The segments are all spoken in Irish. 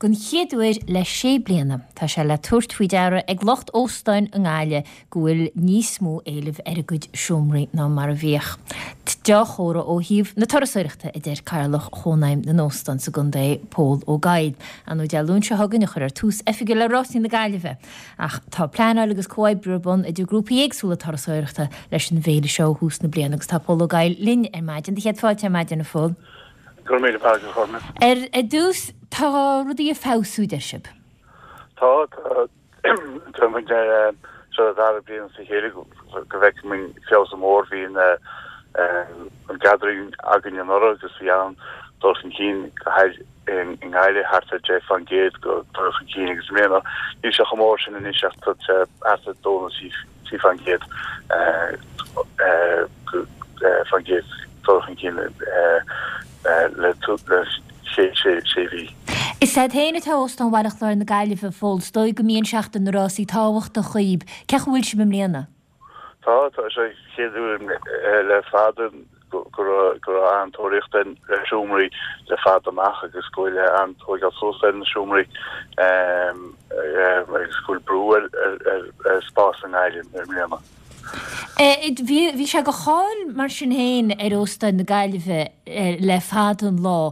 Don chéad uair le sé bliana, tá sé le tabhairt faoi deara ag lucht óstáin i nGaillimh go bhfuil níos mó éilimh ar a gcuid seomraí ná mar a bhíodh. Deá-chomhartha ó thaobh na turasóireachta, a deir Cathaoirleach Chónaidhm na nÓstán sa gcontae, Pól Ó Gabhann. Ar ndóigh Dé Luain seo chugainn a chuirfear tús oifigiúil le Rásaí na Gaillimhe. Ach tá pleanáil agus comhoibriú ar bun idir grúpaí éagsúla turasóireachta leis an bhféile seo ó thús na bliana agus tá Pól Ó Gabhann linn ar maidin. Do chéad fáilte ar maidin, a Phóil. Go raibh míle maith agat, a Chormaic. Ar dtús, tá rudaí ag feabhsú, deir sibh. Tá, tá. Tá muid ar seo an dara bliain as a chéile go bhfeiceann muid feabhas mór. Bhí an an gathering againn anuraidh agus bhí an-dul chun cinn go háirithe i nGaillimh thart ar 10% go dul chun cinn agus i mbliana níl sé chomh mór sin anois ach tá sé thart ar 2 nó 3% faoin gcéad dul chun cinn le sé mhí. Is agat féin atá Óstán Bhaile Chláir na Gaillimhe, a Phóil. Is dóigh go mbíonn Seachtain na Rásaí tábhachtach dhaoib. Cén chaoi a bhfuil sibh i mbliana? Tá, tá sé an chéad uair le fada go raibh go raibh an-tóraíocht ar seomraí le fada amach agus go bhfuil an-tóigeáil suas ar na seomraí agus go bhfuil brú ar ar spás i nGaillimh i mbliana. Bhí sé de cháil mar sin féin ar Óstáin na Gaillimhe le fada an lá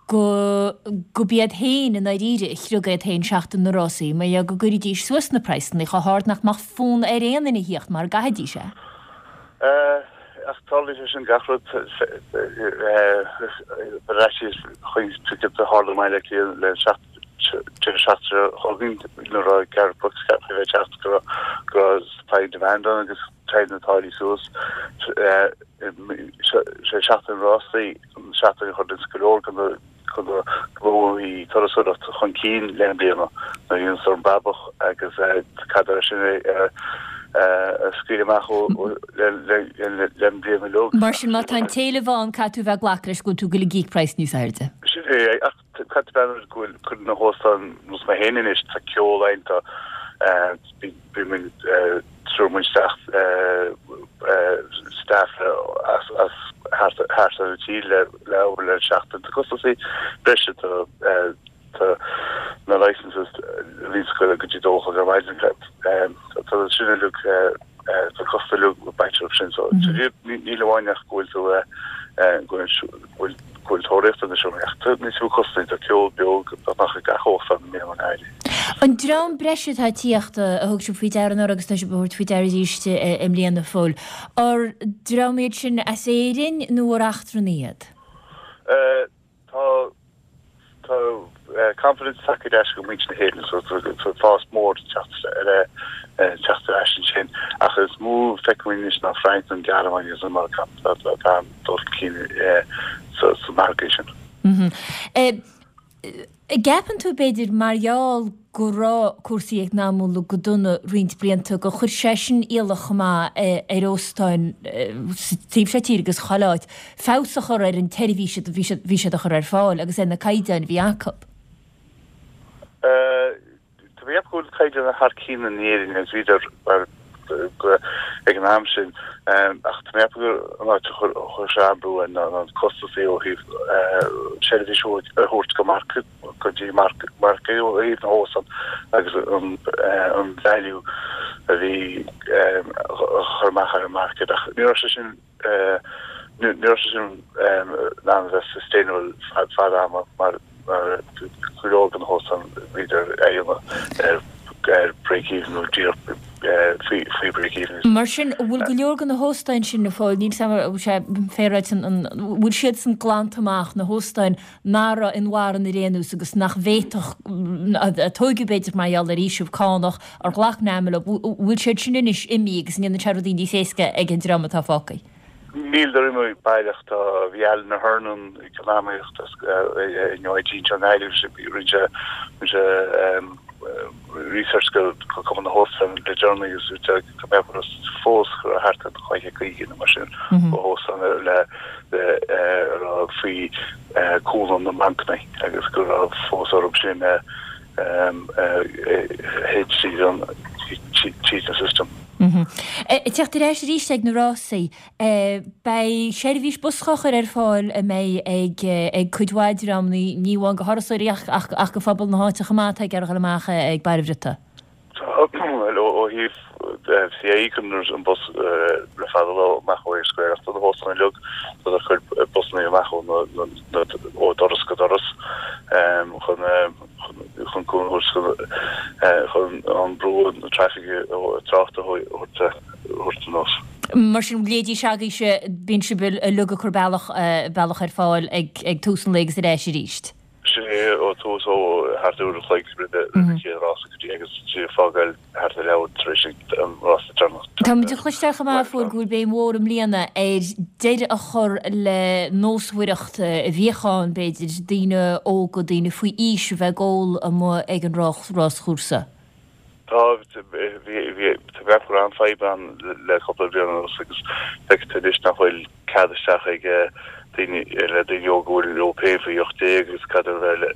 go go b'iad féin i ndáiríre a chriog iad féin Seachtain na Rásaí mar gheall go gcuiridís suas na praghsanna chomh hard nach mbeadh fonn ar aon duine a thíocht mar a gcaithfidís é. Ach tarlaíonn sé sin gach rud ar fhaitíos chuig ticket a tharla i mBaile Átha Cliath le deireadh seachtaine seo chugainn nuair a raibh Garth Brooks ceaptha a bheith ag teacht go raibh go raibh supply and demand ann agus téann na táillí suas. Sé Seachtain na Rásaí an seachtain a chuireann go leor de na gnóthaí turasóireachta chun cinn le na bliana nuair a bhíonn an brabach agus cad é sin a scaoileadh amach le an bhliain uilig. Mar sin má tá an t-éileamh ann caithfidh tú a bheith ag glacadh leis go bhfuil tú ag goil ag íoc praghas níos airde. Sin é, ach caithfidh tú breathnú go bhfuil cuid de na hóstáin nós mé féin anois, tá ceol ann, tá bíonn muid tabharann muid isteach staff as as thart thart ar an tír le le obair le seachtain. Tá costasaí breise tá tá na licenses a bhíonns ag goil go dtí 2 a chlog ar maidin tá sin uilig tá costas uilig bainte orthu sin so níl amháin ach go bhfuil tú go bhfuil go bhfuil tóraíocht ar na seomraí ach tá níos mó costasaí tá ceol beo beagnach ag gach óstán i mbliana i nGaillimh. An dream breise atá ag tíocht a thug sibh faoi deara anuraidh agus tá sibh a thabhairt faoi deara arís i mbliana, a Phóil, ar dream iad sin as Éirinn nó ar eachtrannaigh iad? Tá tá confidence tagtha ar ais go muintir na hÉireann so tá fás mór teacht ar teacht ar ais ansin ach is mó feicim anois ná Frainc an Ghearmáin agus an Meiriceá atá dul chun cinn sa margadh sin. An gceapann tú, b'fhéidir, mar gheall go raibh cúrsaí eacnamúla go dona roinnt blianta, gur chuir sé sin iallach chomh maith ar óstáin sa taobh seo tíre agus chuile áit, feabhas a chur ar an tseirbhís a bhí siad bhí siad a chur ar fáil agus ar na caighdeáin a bhí acu? Tá mé ag ceapadh go bhfuil caighdeán thar cionn in Éirinn agus bhíodar mar ag an am sin ach tá mé ag ceapadh gur an áit a chuir sé an-bhrú air ná na costasaí ó thaobh seirbhís a thabhairt go marc go dtí margadh ó thaobh na hóstán agus an value a bhí a chur amach ar an market ach ní raibh sé sin Ní raibh sé sin in ann a bheith sustainable fad ama mar go leor de na hóstáin bhíodar ar ar break even nó díreach faoi break even. Mar sin, an bhfuil go leor de na hóstáin sin, a Phóil, níl 's agam an bhfuil sé féaráilte an bhfuil siadsan glanta amach, na hóstáin nach raibh inmharthana ar aon nós agus nach bhféadfadh, a tóigeadh b'fhéidir mar gheall ar fhaoiseamh cánach, ar ghlac NAMA leo, bhfuil siad sin anois imithe agus an ndéanann sé rudaí níos éasca ag an dream atá fágtha? Níleadar imithe baileach, tá, bhí Alan Ahern ag an iomaíocht as in UIG anseo i nGaillimh, rinne sé, rinne sé research go Cumann na hÓstán le deireanaí agus tá mé ag fós go raibh thart ar 250 nó mar sin ó óstán le a raibh faoi cúnamh na mbancanna agus go raibh fós orthu sin a théid tríd an tríd an system. Ag teacht ar ais arís ag na rásaí, beidh seirbhís bus á chur ar fáil a mbeidh ag cuid mhaith dreamanna, ní amháin go thurasóirí ach ach go phobal na háite chomh maith atá ag iarraidh a dhul amach ag Baile Bhriotaigh. Tá, bhuel, ó thaobh CIÉ cuireann an bus le fada lá amach ó Eyre Square ach do na hóstáin uilig, tá ag cur busanna amach ó ó doras go doras chun chun cúnamh a thabhairt chun an brú an traffic tráchta a thabhairt anuas. Mar sin, leithéidí agaibhse, bíonn sibh uilig ag cur bealach bealach ar fáil ag tús an lae agus ar ais arís. Sin é ó tús ó thart uair an chloig roimh an chéad rása go dtí agus ag fágáil thart ar leathuair tar éis an rása deireanach. Tá muid ag cloisteáil chomh maith, a Phóil, go bhfuil béim mhór i mbliana ar deireadh a chur le nósmhaireacht a bhíodh ann, b'fhéidir, daoine óga, daoine faoi aois a bheith ag ól amuigh ag an ráschúrsa. Tá, bhí, tá go raibh an-fhadhb ann le cúpla bliain anuas agus feictear anois nach bhfuil cead isteach ag daoine, le daoine óga a bhfuil leo féin faoi 18 agus cad a bheith le,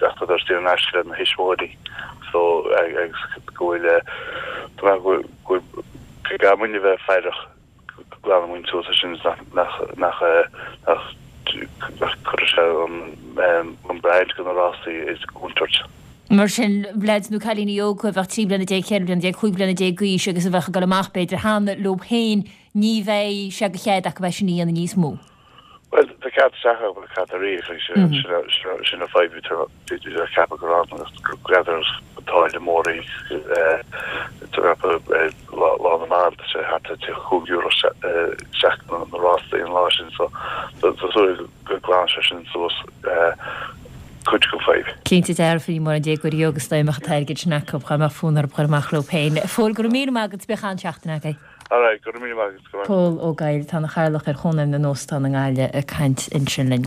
ach tá saor in aisce lena thuismitheoirí so agus go bhfuil, tá mé go bhfuil, go gcaithfidh muidne a bheith faireach. go nglanann muid suas é sin nach nach nach nach cuirfidh sé an an brand go na rásaí i gcontúirt. Mar sin, leaids nó cailíní óga a bheadh 13 bliana, 14 bliana, 15 bliana d'aois agus a bheadh ag dul amach b'fhéidir cheana leo féin, ní bheidh sé de chead acu é sin a dhéanamh níos mó. Bhuel, tá cead isteach acu ach cead ar íoc, agus sin an fadhb a bhí ag ceapadh go raibh ann, go gceadair an táille mór í, Lá na mBan, tá sé thart ar €35 isteach na rástaí an lá sin, so tá súil go nglanann sé sin suas cuid den fadhb. Cinnte dearfa, ní mórán déagóirí óga is dóigh a mbeadh an t-airgead sin acu, dá mbeadh fonn orthu dul amach leo féin. A Phóil, go raibh míle maith agat, bíodh an-seachtain agaibh. Alright, go raibh míle maith agat, go raibh. Pól Ó Gabhla, atá ina chathaoirleach ar Chónaidhm na nÓstán i nGaillimh ag caint ansin linn.